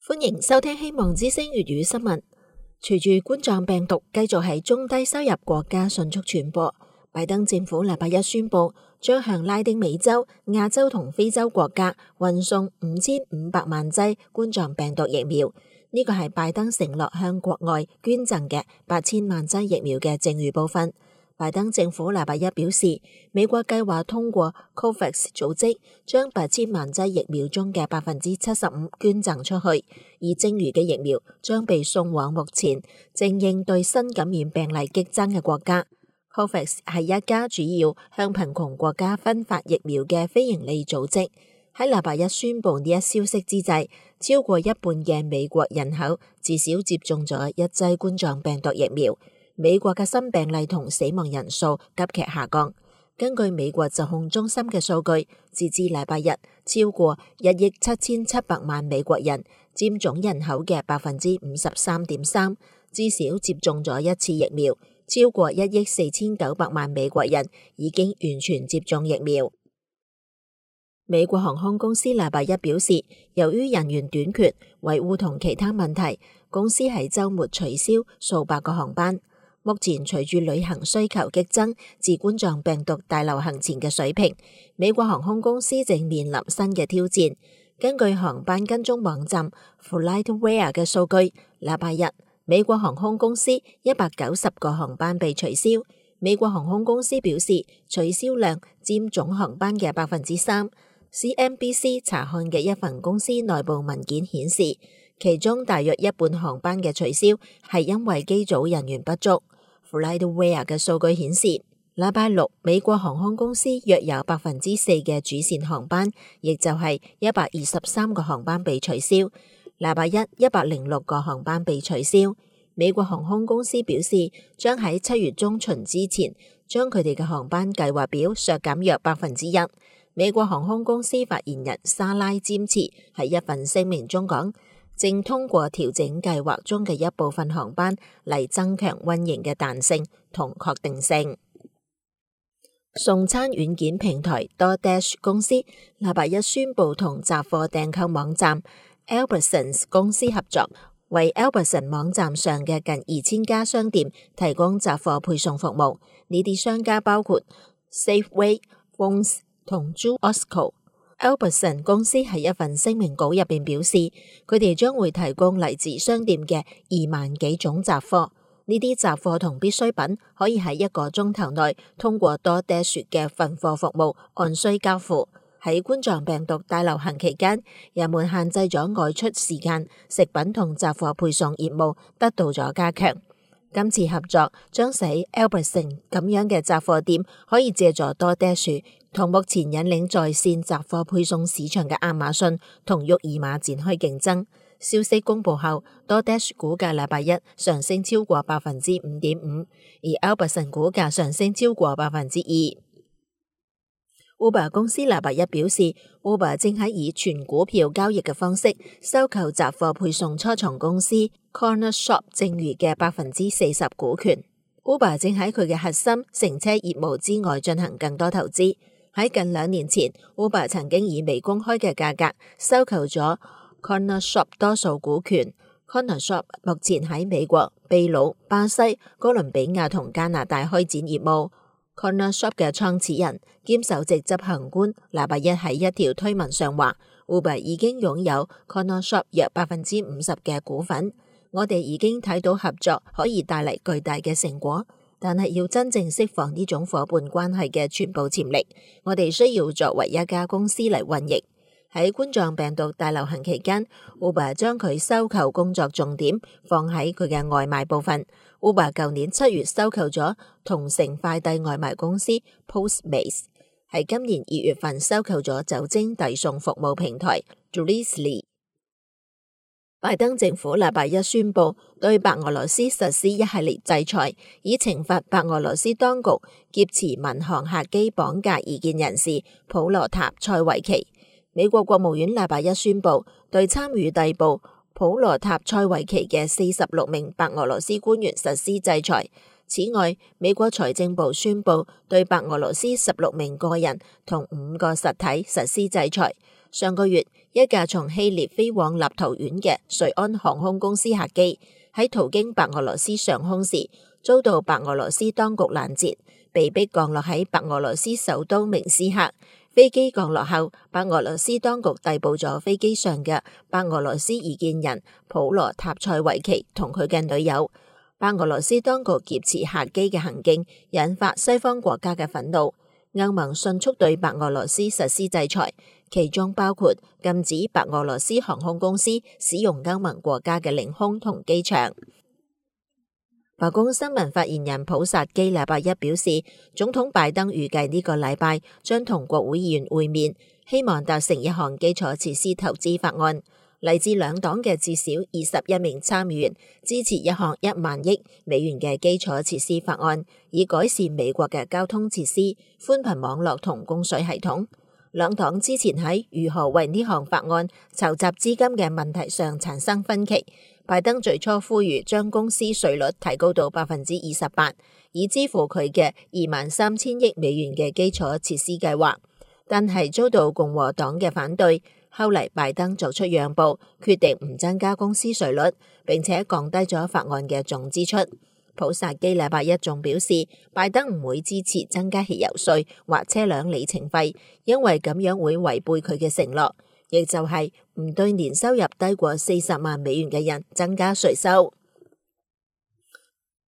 歡迎收聽希望之聲粵語新聞。隨住冠狀病毒繼續喺中低收入國家迅速傳播，拜登政府禮拜一宣布，將向拉丁美洲、亞洲同非洲國家運送5500萬劑冠狀病毒疫苗。呢個係拜登承諾向國外捐贈嘅8000萬劑疫苗嘅剩餘部分。拜登政府禮拜一表示，美國計劃通過 COVAX 組織將8000萬劑疫苗中嘅75%捐贈出去，而剩餘嘅疫苗將被送往目前正應對新感染病例激增嘅國家。COVAX 係一家主要向貧窮國家分發疫苗嘅非營利組織。喺禮拜一宣布呢一消息之際，超過一半嘅美國人口至少接種咗一劑冠狀病毒疫苗。美國嘅新病例同死亡人數急劇下降。根據美國疾控中心嘅數據，截至禮拜日，超過1億7700萬美國人，佔總人口嘅53.3%，至少接種咗一次疫苗。超過1億4900萬美國人已經完全接種疫苗。美國航空公司禮拜一表示，由於人員短缺、維護同其他問題，公司喺週末取消數百個航班。目前隨住旅行需求激增至冠狀病毒大流行前嘅水平，美國航空公司正面臨新嘅挑戰。根據航班跟蹤網站 FlightAware 嘅數據，禮拜日美國航空公司190個航班被取消。美國航空公司表示，取消量佔總航班嘅3%。CNBC 查看嘅一份公司內部文件顯示，其中大約一半航班嘅取消係因為機組人員不足。FlightAware 嘅數據顯示，禮拜六美國航空公司約有4%嘅主線航班，亦就係123個航班被取消。禮拜一106個航班被取消。美國航空公司表示，將喺7月中旬之前將佢哋嘅航班計劃表削減約1%。美國航空公司發言人莎拉詹茨喺一份聲明中講，正通過調整計劃中嘅一部分航班嚟增強運營嘅彈性同確定性。送餐軟件平台 DoorDash 公司禮拜一宣布同雜貨訂購網站 Albertsons 公司合作，為 Albertsons 網站上嘅近2000家商店提供雜貨配送服務。呢啲商家包括 Safeway、Vons 同 Jewel-Osco。Albertsons 公司喺一份聲明稿入邊表示，佢哋將會提供嚟自商店嘅2萬幾種雜貨。呢啲雜貨同必需品可以喺1個鐘頭內通過DoorDash嘅分貨服務按需交付。喺冠狀病毒大流行期間，人們限制咗外出時間，食品同雜貨配送業務得到咗加強。今次合作將使 Albertsons 咁樣嘅雜貨店可以借助DoorDash同目前引領在線雜貨配送市場嘅亞馬遜同沃爾瑪展開競爭。消息公布後，DoorDash 股價禮拜一上升超過5.5%，而 Albertsons 股價上升超過2%。Uber 公司禮拜一表示，Uber 正喺以全股票交易嘅方式收購雜貨配送初創公司 Cornershop 剩餘嘅40%股權。Uber 正喺佢嘅核心乘車業務之外進行更多投資。喺近2年前，Uber 曾經以未公開嘅價格收購咗 Cornershop 多數股權。Cornershop 目前喺美國、秘魯、巴西、哥倫比亞同加拿大開展業務。Cornershop 嘅創始人兼首席執行官禮拜一喺一條推文上話 ，Uber 已經擁有 Cornershop 約50%嘅股份。我哋已經睇到合作可以帶嚟巨大嘅成果，但係要真正釋放呢種夥伴關係嘅全部潛力，我哋需要作為一家公司嚟運營。喺冠狀病毒大流行期間 ，Uber 將佢收購工作重點放喺佢嘅外賣部分。Uber 舊年7月收購咗同城快遞外賣公司 Postmates， 喺今年2月份收購咗酒精遞送服務平台 Drizly。拜登政府禮拜一宣布對白俄羅斯實施一系列制裁，以懲罰白俄羅斯當局劫持民航客機綁架異見人士普羅塔塞維奇。美國國務院禮拜一宣布對參與逮捕普羅塔塞維奇嘅46名白俄羅斯官員實施制裁。此外，美國財政部宣布對白俄羅斯16名個人同5個實體實施制裁。上個月，一架從希臘飛往立陶宛嘅瑞安航空公司客機喺途經白俄羅斯上空時，遭到白俄羅斯當局攔截，被迫降落喺白俄羅斯首都明斯克。飛機降落後，白俄羅斯當局逮捕咗飛機上嘅白俄羅斯異見人普羅塔塞維奇同佢嘅女友。白俄羅斯當局劫持客機嘅行徑引發西方國家嘅憤怒，歐盟迅速對白俄羅斯實施制裁，其中包括禁止白俄羅斯航空公司使用歐盟國家嘅領空同機場。白宮新聞發言人普薩基禮拜一表示，總統拜登預計呢個禮拜將同國會議員會面，希望達成一項基礎設施投資法案。嚟自兩黨嘅至少21名參議員支持一項1萬億美元嘅基礎設施法案，以改善美國嘅交通設施、寬頻網絡同供水系統。兩黨之前喺如何為呢項法案籌集資金嘅問題上產生分歧。拜登最初呼籲將公司稅率提高到28%，以支付佢嘅23,000億美元嘅基礎設施計劃，但係遭到共和黨嘅反對。後嚟拜登作出讓步，決定唔增加公司稅率，並且降低咗法案嘅總支出。普薩基禮拜一仲表示，拜登唔會支持增加汽油稅或車輛里程費，因為咁樣會違背佢嘅承諾，亦就係唔對年收入低過40萬美元嘅人增加稅收。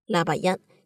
禮拜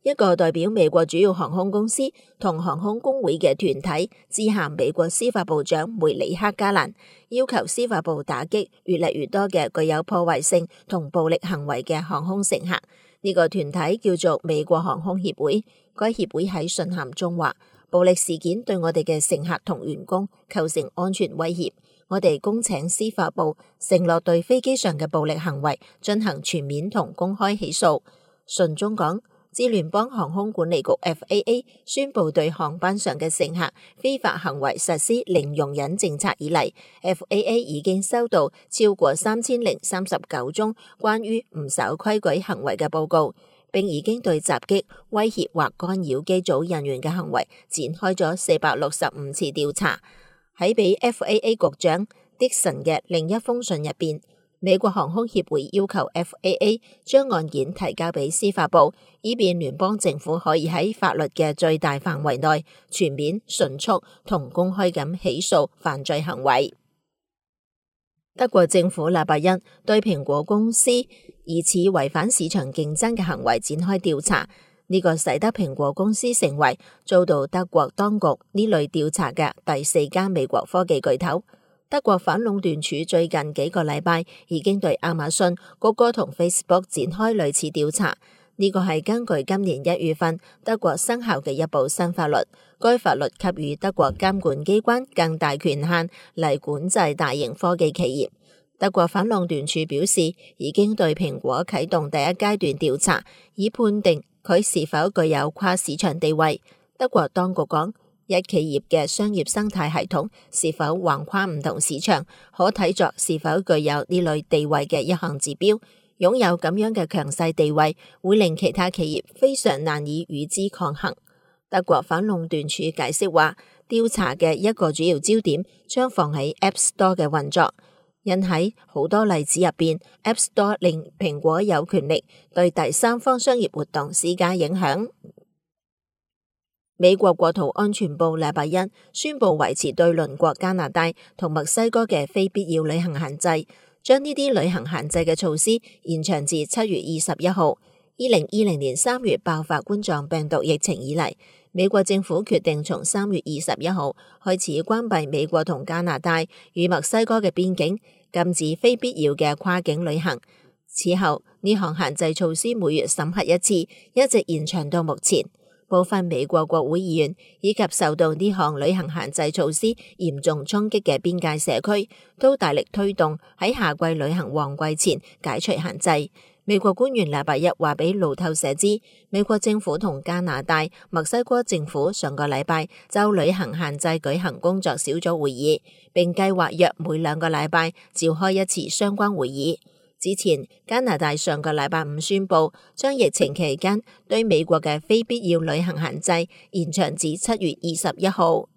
一個代表美國主要航空公司同航空工會嘅團體致函美國司法部長梅里克加蘭，要求司法部打擊越嚟越多嘅具有破壞性同暴力行為嘅航空乘客。呢個團體叫做美國航空協會，該協會喺信函中話，暴力事件對我哋嘅乘客同員工構成安全威脅，我哋恭請司法部承諾對飛機上嘅暴力行為進行全面同公開起訴。信中講，自聯邦航空管理局 FAA 宣布對航班上嘅乘客非法行為實施零容忍政策以嚟， FAA 已經收到超過3039宗關於唔守規矩行為嘅報告，並已經對襲擊、威脅或干擾機組人員嘅行為展開咗465次調查。喺俾 FAA 局長 Dixon 嘅另一封信入邊，美國航空協會要求 FAA 將案件提交俾司法部，以便聯邦政府可以喺法律嘅最大範圍內全面、迅速同公開咁起訴犯罪行為。德國政府禮拜一對蘋果公司疑似違反市場競爭嘅行為展開調查，呢個使得蘋果公司成為遭到德國當局呢類調查嘅第4間美國科技巨頭。德國反壟斷署最近幾個禮拜已經對亞馬遜、谷歌同 Facebook 展開類似調查。呢個係根據今年1月份德國生效嘅一部新法律，該法律給予德國監管機關更大權限嚟管制大型科技企業。德國反壟斷署表示，已經對蘋果啟動第1階段調查，以判定佢是否具有跨市場地位。德國當局講，一企業嘅商業生態系統是否橫跨唔同市場，可睇作是否具有呢類地位嘅一項指標。擁有咁樣嘅強勢地位，會令其他企業非常難以與之抗衡。德國反壟斷署解釋話，調查嘅一個主要焦點將放喺 App Store 嘅運作，因喺好多例子入邊 ，App Store 令蘋果有權力對第三方商業活動施加影響。美國國土安全部禮拜一宣布維持對鄰國加拿大同墨西哥嘅非必要旅行限制，將呢啲旅行限制嘅措施延長至7月21號。2020年3月爆發冠狀病毒疫情以嚟，美國政府決定從3月21號開始關閉美國同加拿大與墨西哥嘅邊境，禁止非必要嘅跨境旅行。此後，呢項限制措施每月審核一次，一直延長到目前。部分美國國會議員以及受到呢項旅行限制措施嚴重衝擊嘅邊界社區，都大力推動喺夏季旅行旺季前解除限制。美國官員禮拜一話俾路透社知，美國政府同加拿大、墨西哥政府上個禮拜就旅行限制舉行工作小組會議，並計劃約每2個禮拜召開一次相關會議。之前，加拿大上個禮拜5宣布，將疫情期間對美國嘅非必要旅行限制延長至7月21號。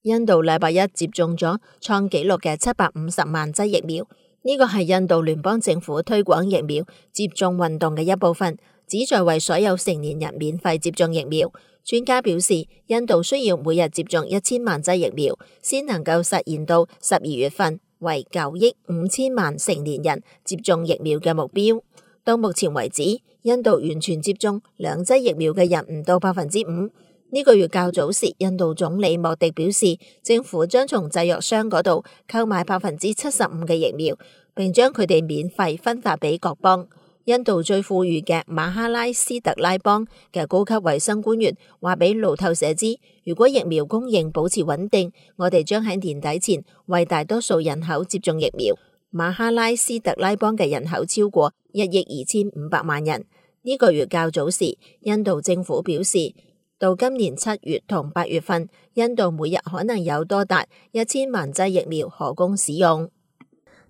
印度禮拜一接種咗創紀錄嘅750萬劑疫苗，呢個係印度聯邦政府推廣疫苗接種運動嘅一部分，旨在為所有成年人免費接種疫苗。專家表示，印度需要每日接種1000萬劑疫苗，先能夠實現到12月份為9億5千萬成年人接種疫苗嘅目標。到目前為止，印度完全接種2劑疫苗嘅人唔到5%。呢個月較早時，印度總理莫迪表示，政府將從製藥商嗰度購買75%嘅疫苗，並將佢哋免費分發俾各邦。印度最富裕嘅馬哈拉斯特拉邦嘅高級衛生官員話俾路透社知，如果疫苗供應保持穩定，我哋將喺年底前為大多數人口接種疫苗。馬哈拉斯特拉邦嘅人口超過1億2500萬人。呢個月較早時，印度政府表示，到今年7月同8月份，印度每日可能有多達1000萬劑疫苗可供使用。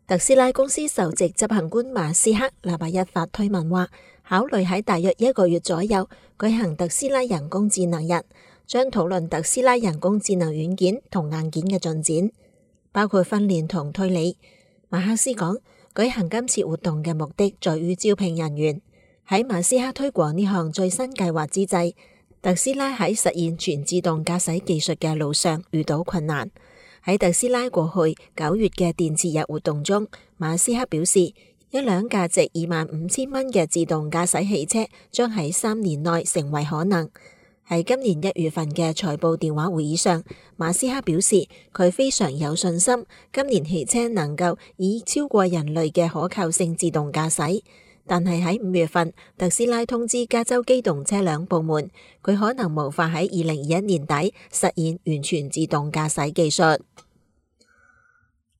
特斯拉公司首席執行官馬斯克禮拜一發推文話，考慮喺大約1個月左右舉行特斯拉人工智能日，將討論特斯拉人工智能軟件同硬件嘅進展，包括訓練同推理。馬克思講，舉行今次活動嘅目的在於招聘人員。喺馬斯克推廣呢項最新計劃之際，特斯拉喺實現全自動駕駛技術嘅路上遇到困難。喺特斯拉過去9月嘅電池日活動中，馬斯克表示，一輛價值25000蚊嘅自動駕駛汽車將喺3年內成為可能。喺今年1月份嘅財報電話會議上，馬斯克表示佢非常有信心，今年汽車能夠以超過人類嘅可靠性自動駕駛。但係喺5月份，特斯拉通知加州機動車輛部門，佢可能無法喺2021年底實現完全自動駕駛技術。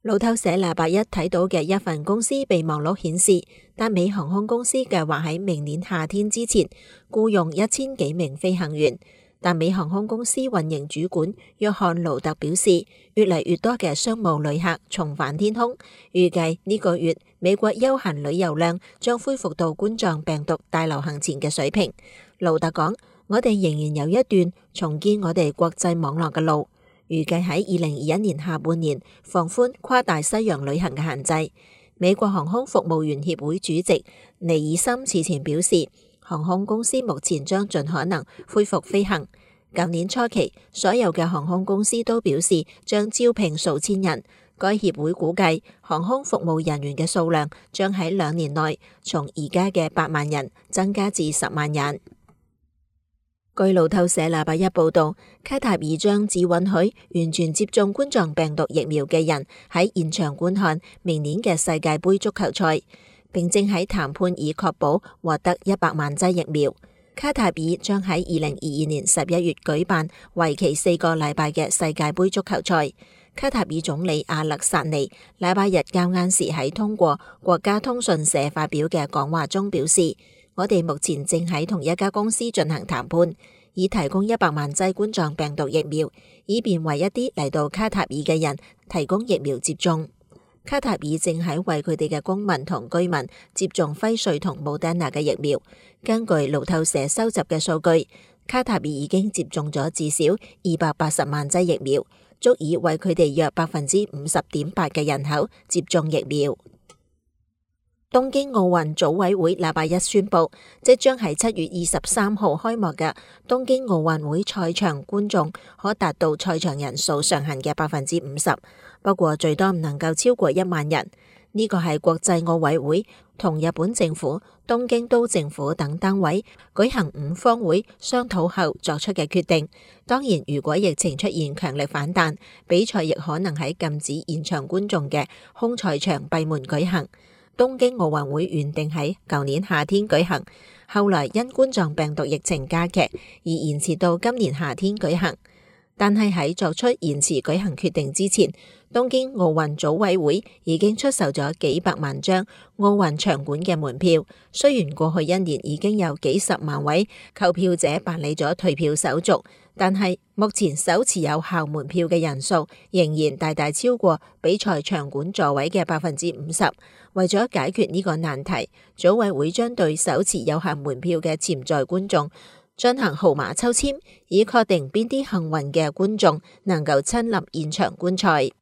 路透社禮拜一睇到嘅一份公司備忘錄顯示，達美航空公司計劃喺明年夏天之前僱用1000幾名飛行員。達美航空公司運營主管約翰盧特表示，越嚟越多嘅商務旅客重返天空，預計呢個月美國休閒旅遊量將恢復到冠狀病毒大流行前嘅水平。盧特講，我哋仍然有一段重建我哋國際網絡嘅路，預計喺2021年下半年放寬跨大西洋旅行嘅限制。美國航空服務員協會主席尼爾森此前表示，航空公司目前將盡可能恢復飛行。舊年初期，所有嘅航空公司都表示將招聘數千人。該協會估計，航空服務人員嘅數量將喺2年內從而家嘅8萬人增加至10萬人。據路透社禮拜一報道，卡塔爾將只允許完全接種冠狀病毒疫苗嘅人喺現場觀看明年嘅世界盃足球賽，並正喺談判以確保獲得100萬劑疫苗。卡塔爾將喺2022年11月舉辦為期4個禮拜嘅世界盃足球賽。卡塔爾總理阿勒薩尼禮拜日較晏時喺通過國家通訊社發表嘅講話中表示，我哋目前正喺同一家公司進行談判，以提供100萬劑冠狀病毒疫苗，以便為一啲嚟到卡塔爾嘅人提供疫苗接種。卡塔爾正喺為佢哋嘅公民同居民接種輝瑞同莫德納嘅疫苗。根據路透社收集嘅數據，卡塔爾已經接種咗至少280萬劑疫苗，足以為佢哋約50.8%嘅人口接種疫苗。東京奧運組委會禮拜一宣布，即將喺7月23號開幕嘅東京奧運會賽場觀眾可達到賽場人數上限嘅50%，不過最多唔能夠超過1萬人。呢個係國際奧委會同日本政府、東京都政府等單位舉行5方會商討後作出嘅決定。當然，如果疫情出現強力反彈，比賽亦可能喺禁止現場觀眾嘅空賽場閉門舉行。東京奧運會原定喺舊年夏天舉行，後來因冠狀病毒疫情加劇而延遲到今年夏天舉行。但係喺作出延遲舉行決定之前，東京奧運組委會已經出售咗幾百萬張奧運場館嘅門票。雖然過去1年已經有幾十萬位購票者辦理咗退票手續，但係目前手持有效門票嘅人數仍然大大超過比賽場館座位嘅50%。為咗解決呢個難題，組委會將對手持有效門票嘅潛在觀眾進行號碼抽籤，以確定邊啲幸運嘅觀眾能夠親臨現場觀賽。